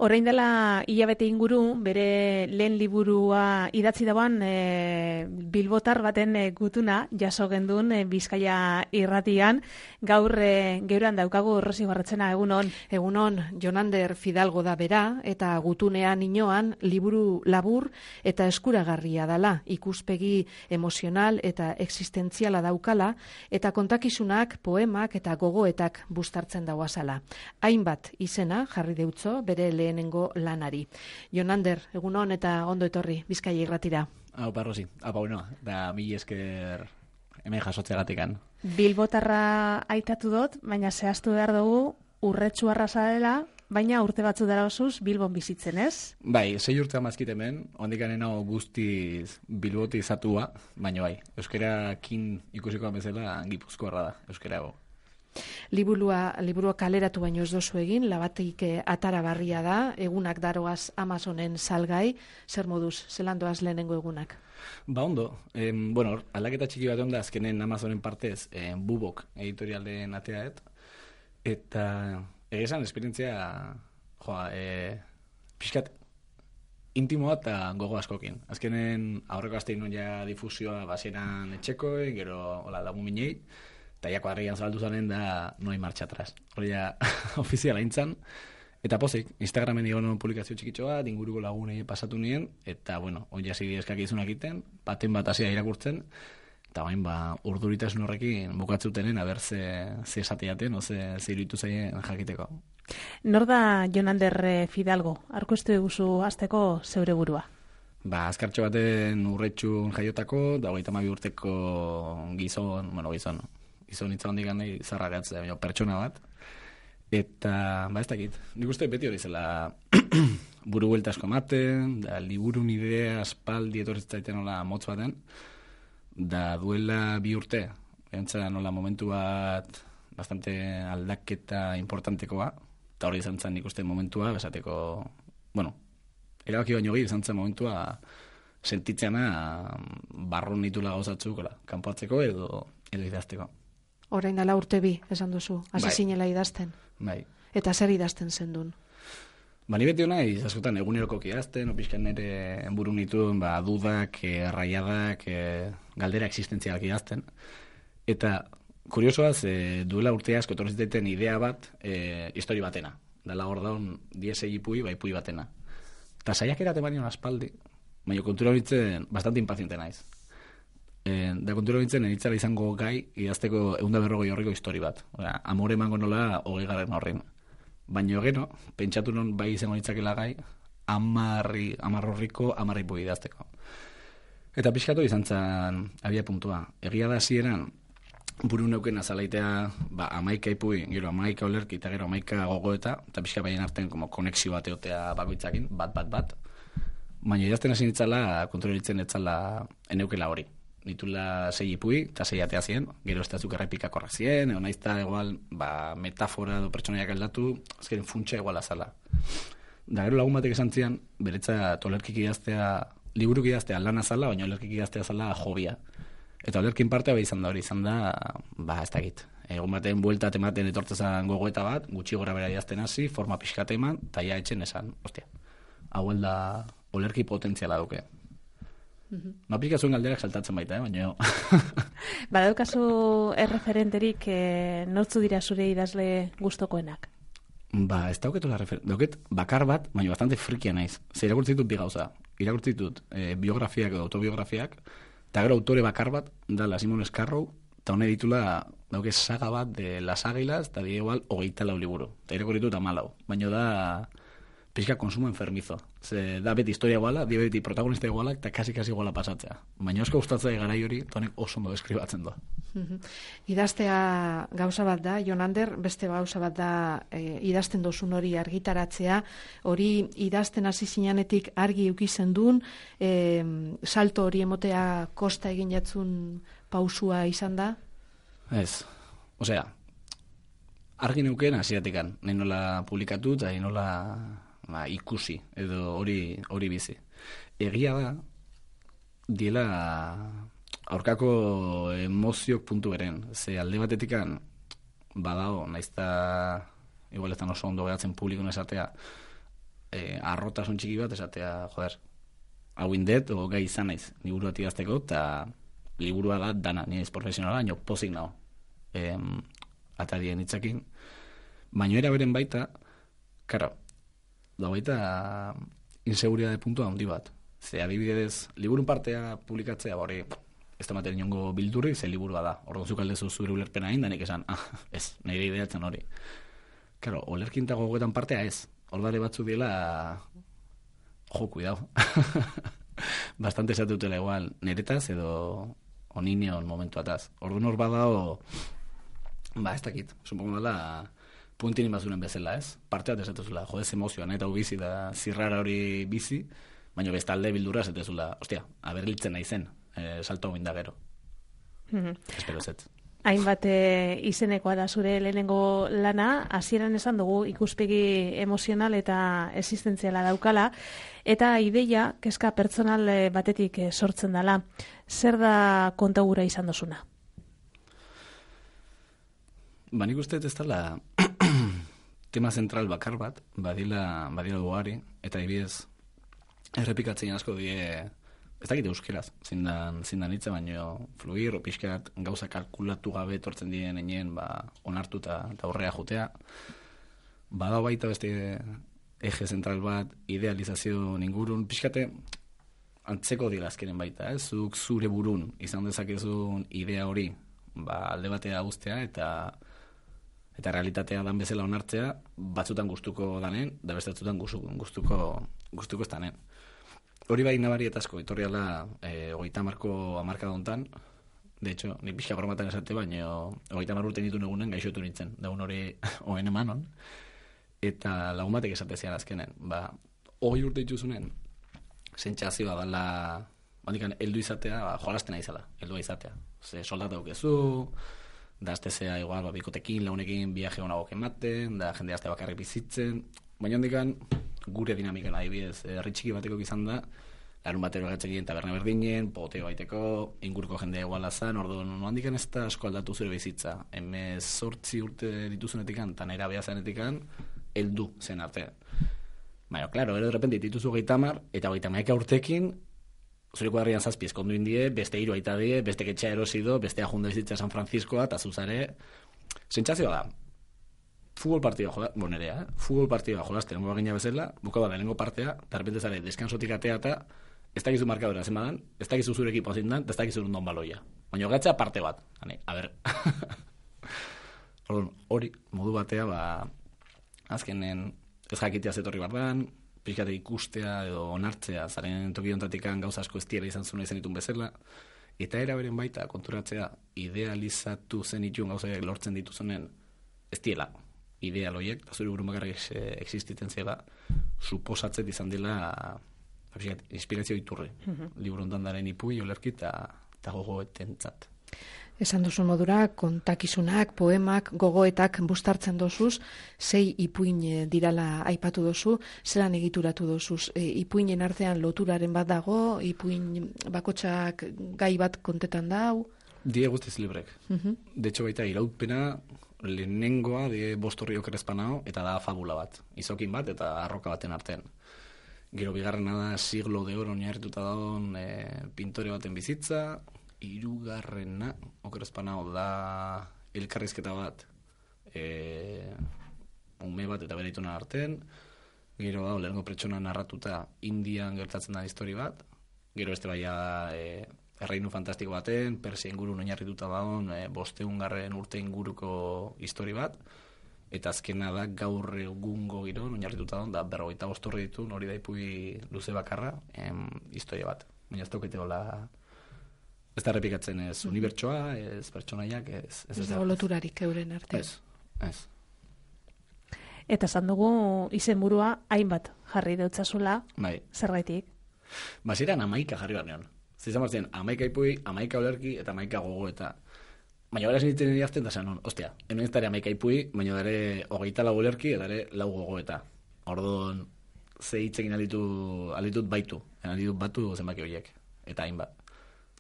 Orain dela hilabete inguru, bere lehen liburua idatzi dagoan bilbotar baten gutuna jaso gendun Bizkaia irratian. Gaur geuran daukagu Rosi Barretzena, egunon. Egunon, Jonander Fidalgo da bera, eta gutunean inoan liburu labur eta eskuragarria dala, ikuspegi emozional eta existentziala daukala, eta kontakizunak, poemak eta gogoetak bustartzen dauazala. Hainbat izena jarri deutzo bere lehenengo lanari. Jonander, egunon eta ondo etorri Bizkaia irratira. Aupa, Rosi, aupa, da mila esker hemen jasotzeagatikan. Bilbotarra aitatu dut, baina zehaztu behar dugu urretxu arrasa dela, baina urte batzu dara osuz Bilbon bizitzen, ez? Bai, 6 urte amazkit hemen, ondikanen hau guztiz Bilboti izatua, baina bai, euskerakin ikusiko bezala Gipuzkoarra da, euskerago. Liburua kaleratu baino ez dozu egin, labatik atara barria da, egunak daroaz Amazonen salgai, zer moduz, zelandoaz lehenengo egunak? Ba ondo, aldaketa txiki bat onda azkenen Amazonen partez, Bubok editorialen ateaet, eta egizan esperientzia, pixkat intimoa eta gogo askokin. Azkenen aurreko aztein ja difusioa basieran etxekoen, gero lagun minei, eta jako harrian zabaldu zanen da noi marcha atrás. Hori ja ofiziala intzan. Eta pozik, Instagramen egon publikazio txikitxoa, inguruko lagunei pasatu nien, eta hori hasi eskak izunak iten, baten bat hasia irakurtzen, eta bain urduritasun horrekin bukatzutenen, aber ze esateaten, ze iruditu zaien jakiteko. Nor da Jonander Fidalgo? Arkoiztu eguzu azteko zeure burua? Azkartxo baten urretxun jaiotako, da 32 urteko gizon hitza hondik ganei zarragatzea, pertsona bat. Eta, ez dakit, nik uste beti hori zela buru buelta asko ematen, da liburun idea aspaldi etorritzaiten nola motz baten, da duela 2 urte, entza nola momentu bat bastante aldaketa importantekoa, eta hori izan zen nik uste momentua, besateko, erabaki baino izan zen momentua sentitzeana barrun nitula gauzatzuk, kanpoatzeko edo idazteko. Orain dela urte 2, esan duzu, hasi zinela idazten. Bai. Eta zer idazten zendun? Ni beti honaiz, askotan egunerokok idazten, opizkan nire buru nituen dudak, raiadak, galdera existentzialak idazten. Eta kuriosoaz, duela urte asko etorri zitaiten idea bat, histori batena. Dala hor daun, 10 ipui, bai pui batena. Eta saiak erate banion aspaldi, baina kontura horitzen bastante impaziente naiz. Da kontura nintzen, enitzara izango gai idazteko 140 horriko histori bat. Amore emango nola 20 horrin. Baina gero, pentsatu non bai izango nitzakela gai, 10 horriko 10 ipui idazteko. Eta pixkatu izan zen abia puntua. Egia da hasieran buru neuken azalaitea 11 ipui, gero 11 olerki eta gero 11 gogoeta, eta pixka baien artean konexio bat eotea bakoitzakin, bat. Baina idazten hasi nitzala, kontura nintzen etzala eneukela hori. Nitula 6 ipui, eta 6 atea zien, gero ez da zuk errepikak horrak zien, egon naizta igual, metafora edo pertsonaiak aldatu, azken funtsa igual azala. Da gero lagun batek esan zian, beretza olerkik idaztea, liburuk idaztea lan azala, baina olerkik idaztea azala jobia. Eta olerkin partea izan da hori, ez dakit. Egon baten buelta tematen etortzezan gogoeta bat, gutxi gora bera idazten hasi, forma pixkate eman, eta ja etxen esan, hau da olerki potentziala duke. Aplikazioen galderak saltatzen baita, baina... Badaukazu erreferenterik nortzu dira zure idazle gustokoenak? Ez dauketula dauket bakar bat, baina bastante frikia naiz. Zer irakurtzitut bi gauza. Irakurtzitut biografiak edo autobiografiak, eta gero autore bakar bat, dala Simon Scarrow, eta hone ditula dauke saga bat de Las Águilas, eta die igual 24 liburu. Eta irakurtzitut 14, baina da... pixka konsumo enfermizo. Ze da beti historia iguala, di beti protagonista iguala, eta kasi iguala pasatzea. Baina osko gustatzea garai hori, tonek oso ondo deskribatzen doa. Idaztea gauza bat da, Jonander, beste gauza bat da idazten dozun hori argitaratzea, hori idazten hasi zinanetik argi eukizen duen, salto hori emotea kosta egin jatzun pausua izan da? Ez, argi neuken hasiatikan, nahi nola publikatu eta nahi nola ikusi, edo hori bizi. Egia da, diela aurkako emoziok puntu beren. Ze alde batetikan, badao, naizta, igual ez oso ondo geratzen publikon esatea, arrotasun txiki bat esatea, joder, hau indet, o gai izan naiz, liburu bat idazteko, eta liburua da dana, nire profesionala, nio pozik nago, atarien hitzakin, baino era beren baita, karo, da baita inseguridade puntua handi bat. Ze adibidez, liburun partea publikatzea, hori, ez da maten niongo bildurri, ze liburua da. Orduan zuk aldezu zure ulerpena egin, da nik esan, ez, nire ideatzen hori. Karo, olerkinta gogoetan partea ez. Ordare batzuk diela, cuidado. Bastante esatutela igual, niretaz edo onineon momentuataz. Orduan hor badao, ez dakit, supongo dela, puentin inbazuren bezala, ez? Parte bat esatuzula, jodez emozioan, eta bizi da zirrara hori bizi, baina bestalde bildura esatuzula, ostia, aberlitzen nahi zen, salto hau indagero. Espero zet. Hainbat izenekoa da zure lehenengo lana, hasieran esan dugu ikuspegi emozional eta existentziala daukala, eta ideia, kezka pertsonal batetik sortzen dela. Zer da kontagura izan dozuna? Nik uste ez dela tema zentral bakar bat, badila duari, eta ibidez errepikatzen asko die, ez dakit euskeraz, zindan hitza, baino fluir, pixkat gauza kalkulatu gabe etortzen diren enien, onartu eta aurrea jotea. Badao baita beste eje zentral bat, idealizazio ingurun, pixkate antzeko dira azkenen baita, zuk zure burun izan dezakezun idea hori, alde batea guztea eta realitatea dan bezala onartzea, batzutan gustuko danen, da beste batzutan gustuko ez danen. Hori bai nabarietazko, etorriala 30 hamarkada hontan, de hecho, nik pixka bromatan esate, baina 30 urte ditun egunen gaixotu nintzen, daun hori oen emanon, eta lagun batek esatezian azkenen, 20 urte dituzunen, sentsazioa dala, bandikan, heldu izatea, jolastena izala, heldua izatea. Ze soldata dukezu, da aztezea igual, bikotekin, launekin, viaje honagok ematen, da jende azte bakarrik bizitzen, baina hondikan, gure dinamikan adibidez, herri bateko izan da, larun batero gatzekien taberna berdinen, poteo baiteko, inguruko jendea iguala zan, orduan, handikan ez da asko aldatu zure bizitza. 18 urte dituzunetikan, eta naira behazanetikan, heldu zen arte. Baina, klaro, ero de repente dituzu 30, eta 30 urtekin, zureko herrian zazpi eskondu indie, beste hiru aita die, beste ketxea erosido, beste ajunda bizitza San Franciscoa, eta zuzare, sentsazioa da, futbol partida futbol partida jolasten moa gina bezala, bukaba da lehenengo partea, eta repente zare, deskansotik atea eta ez dakizu markadora zenbadan, ez dakizu zure ekipo zindan, eta ez dakizu rundon baloia. Baina gatzea parte bat. A ber. Hori, modu batea, azkenen ez jakitea zetorri bardan, pixkate ikustea edo onartzea, zaren tokiontatikan gauza asko ez tiela izan zuen izan ditun bezala, eta era beren baita konturatzea idealizatu zen itun gauzak lortzen dituzunen ez tiela idealoiek, eta zure burun bakarrik existitzen zela, suposatzet izan dela inspirazio iturri. Liburu ondan daren ipui, olerki eta gogoetentzat. Esan duzu modura, kontakizunak, poemak, gogoetak bustartzen dozuz, 6 ipuin dirala aipatu dozu, zelan egituratu dozuz? Ipuinen artean loturaren bat dago, ipuin bakotxak gai bat kontetan dau? Die guztiz librek. De hecho, baita iraupena lehenengoa de Bostorrio Crespanao eta da fabula bat. Izokin bat eta arroka baten artean. Gero bigarrena da siglo de oro oinarrituta dagoen pintore baten bizitza, hirugarrena Crespanao da elkarrizketa bat ume bat eta bere aitona artean, gero da lehenengo pertsona narratuta Indian gertatzen da histori bat, gero beste baia erreinu fantastiko baten, Persia ingurun oinarrituta dagoen 500 urte inguruko histori bat, eta azkena da gaur egungo giron oinarrituta dagoen, da 45 urte ditu, hori da ipui luze bakarra, historia bat. Baina ez daukete hola, ez da repikatzen ez unibertsoa, ez pertsonaiak, ez dago loturarik euren arte. Ez. Eta esan dugu izenburua hainbat jarri deutzazula, zergaitik? Ziren 11 jarri barnean. Zizan barzien, 11 ipui, 11 olerki eta 11 gogoeta. Baina beraz nintzen idazten da zen, ostia, hemen ez dara 11 ipui, baina dare 24 olerki eta dare 4 gogoeta. Orduan, ze hitzekin alitut batu zenbaki horiek, eta hainbat.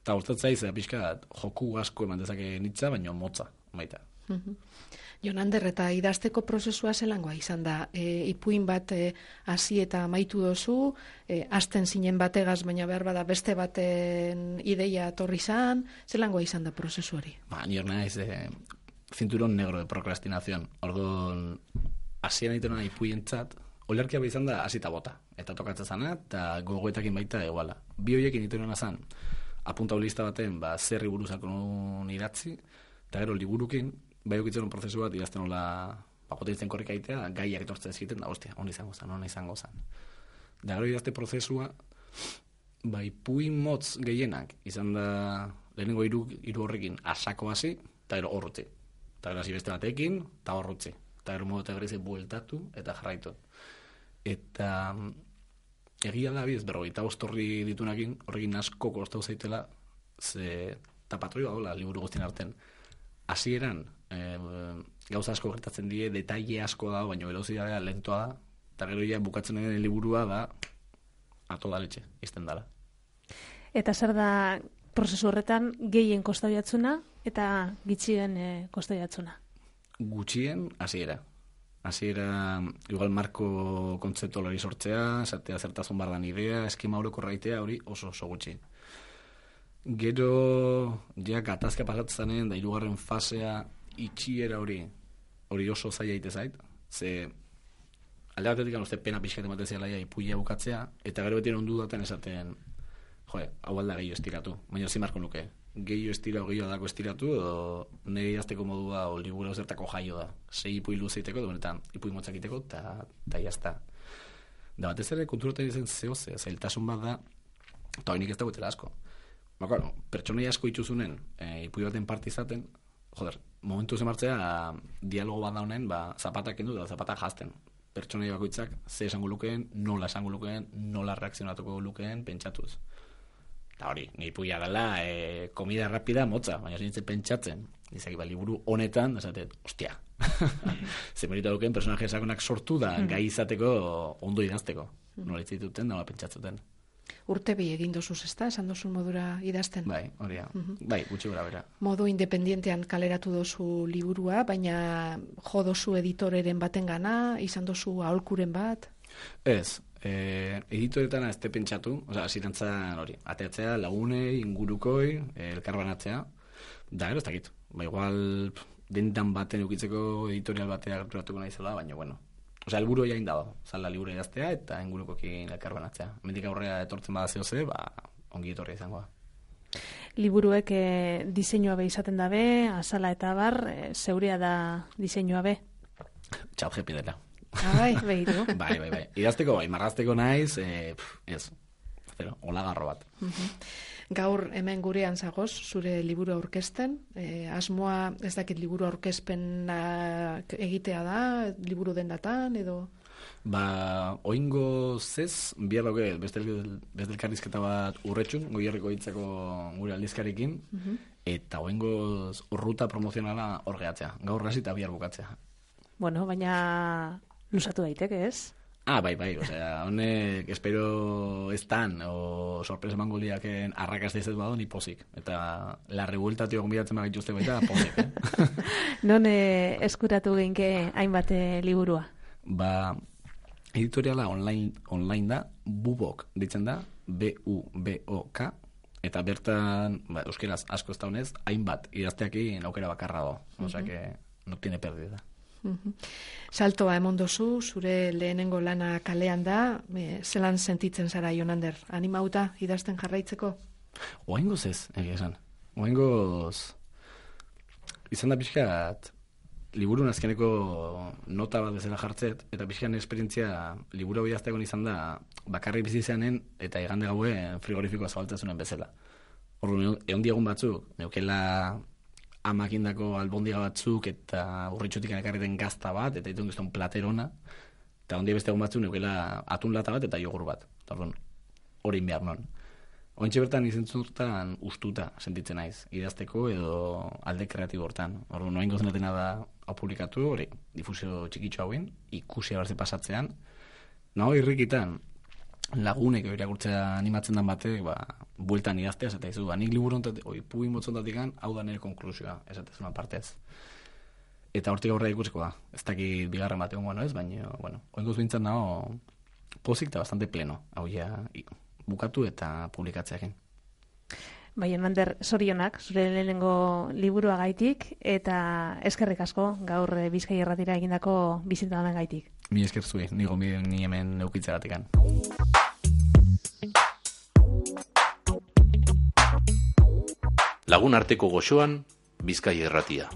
Eta urtatzaiz, pixka, joku asko eman dezake nitza, baina motza, baita. Jonander, eta idazteko prozesua zelangoa izan da? Ipuin bat hasi eta amaitu dozu, hasten zinen bategaz, baina behar bada beste baten ideia torri zan, zelangoa izan da prozesu hori? Ni hor naiz, cinturón negro de procrastinación. Orduan, hasieran itena ipuientzat, olerkia behar izan da hasita bota. Eta tokatzen zana, eta gogoetakin baita eguala. Bi horiekin iterena zan, apuntaulista baten, zerri buruzako nun idatzi, eta gero liburukin, bai okitzen prozesu bat idazten hola pakotitzen korrika egitea, gaiak etortzen ziten, da, hostia, hona izango zan. Da gero idazte prozesua, ipuin motz gehienak, izan da lehenengo hiru horrekin asako hasi, eta gero horrutzi. Eta gero hasi beste batekin, eta horrutzi. Eta gero modu eta gero bueltatu, eta jarraitu. Eta egia da biz, berrogeita ostorri ditunakin, horrekin asko kostau zaitela, eta patroi badola, liburu guztien arten. Hasieran gauza asko gertatzen die, detaile asko da, baina velozidadea lentoa da, eta gero ja bukatzen den liburua da a toda leche, izten dala. Eta zer da prozesu horretan gehien kostau jatzuna eta gitxien kostau jatzuna? Gutxien hasiera. Hasiera, igual marko kontzeptualari sortzea, esatea zertazun bardan idea, eskema horoko raitea, hori oso gutxi. Gero, ja, gatazka pasatzen da hirugarren fasea itxiera hori oso zaila ite zait, ze alde batetik uste pena pixkat ematen zialaia ipuia bukatzea, eta gero beti ondu daten esaten, hau alda gehiago estiratu, baina zimarko nuke, gehiago estiratu, gehiago dako estiratu, edo nire idazteko modua o liburu zertako jaio da, 6 ipui luzeiteko, eta ipui motzakiteko, eta jazta. Da batez ere konturoten izen zailtasun bat da, eta hori nik ez dagoetela asko. Pertsonai asko ituzunen, ipui baten parte izaten, momentu zemartzea, dialogo bat daunen, zapatak kendu da, zapatak jazten. Pertsonai bakoitzak, ze esango lukeen, nola esango lukeen, nola reakzionatuko lukeen, pentsatuz. Eta hori, ni ipuia dela, komida rapida motza, baina zintzen pentsatzen. Izaki, liburu honetan, esatet, ostia. Zemerita dukeen, personaje esakonak sortu da, gai izateko, ondo idazteko. Nola itzituten, nola pentsatzuten. Urte bi egin dozuz, ezta? Esan dozun modura idazten. Bai, hori da. Bai, gutxi gora bera. Modu independientean kaleratu dozu liburua, baina jo dozu editoreren baten gana, izan dozu aholkuren bat? Ez, editoretan ez te pentsatu, zirantzan hori, ateatzea, lagunei, ingurukoi, elkarbanatzea, da gero ez dakit. Igual, dendan baten eukitzeko editorial batea gerturatuko nahi zela, baina bueno. Helburu jain dago, zala liburu idaztea eta ingurukokin elkarbanatzea. Mendik aurrea etortzen bada zehose, ongi etorria izangoa. Liburuek diseinua be izaten dabe, azala eta bar, zeurea da diseinua be? Txaljepi dela. Bai, behiru. Bai. Idazteko, marrazteko naiz, ez. Olagarro bat. Gaur hemen gurean zagoz, zure liburu aurkezten, asmoa ez dakit liburu aurkezpen egitea da, liburu dendatan, edo? Oingo zez, bihar dauke, beste elkarrizketa bat urretxun, Goierriko hitzeko gure aldizkarikin, eta oingo ruta promozionala hor gehatzea, gaur hasi eta bihar bukatzea. Bueno, baina lusatu daiteke, ez? Bai, honek espero ez tan, o sorpresa emango liaken arrakazte ez bado, ni pozik. Eta la revueltatio gonbidatzen magituzte baita, pozik. Non eskuratu geinke hainbat liburua? Editoriala online da, Bubok ditzen da, B-U-B-O-K, eta bertan, euskeraz asko ez daunez, hainbat idazteakin aukera bakarra do. Osea que no tiene pérdida. Saltoa emon dozu, zure lehenengo lana kalean da, zelan sentitzen zara, Jonander? Animauta idazten jarraitzeko? Oaingoz ez, egia esan. Oaingoz izan da pixkat liburu azkeneko nota bat bezala jartzet, eta pixkan esperientzia liburu idaztegon izan da bakarrik bizizanen eta igande gauen frigorifikoa zabaltzezunen bezala. Horren, egon diagun batzuk, neukela amakindako albondiga batzuk eta urritxutik ekarriten gazta bat, eta ditun gizton platerona, eta ondia beste egun batzuk neukela atun lata bat eta jogur bat. Hori behar non. Ointxe bertan izentzutan ustuta sentitzen naiz, idazteko edo alde kreatibo hortan. Noain gozenetena da hau publikatu, hori, difusio txikitxo hauen, ikusi abarze pasatzean, nago irrikitan, lagunek irakurtzea animatzen dan batek, bueltan idaztea, eta izu, nik liburu ontatik, pugin motzontatik hau da nire konklusioa, esatezuna partez. Eta hortik aurrera ikusiko da. Ez dakit bigarren bat egon ez, baina, oinguz bintzat nago pozik eta bastante pleno. Hau ja, bukatu eta publikatzeakin. Bai, Hernander, zorionak, zure lehenengo liburua gaitik, eta eskerrik asko gaur Bizkaia Irratira egindako bizitamen gaitik. Mi esker zui, ni hemen eukitzeratikan. Lagun arteko goxoan, Bizkaia Irratia.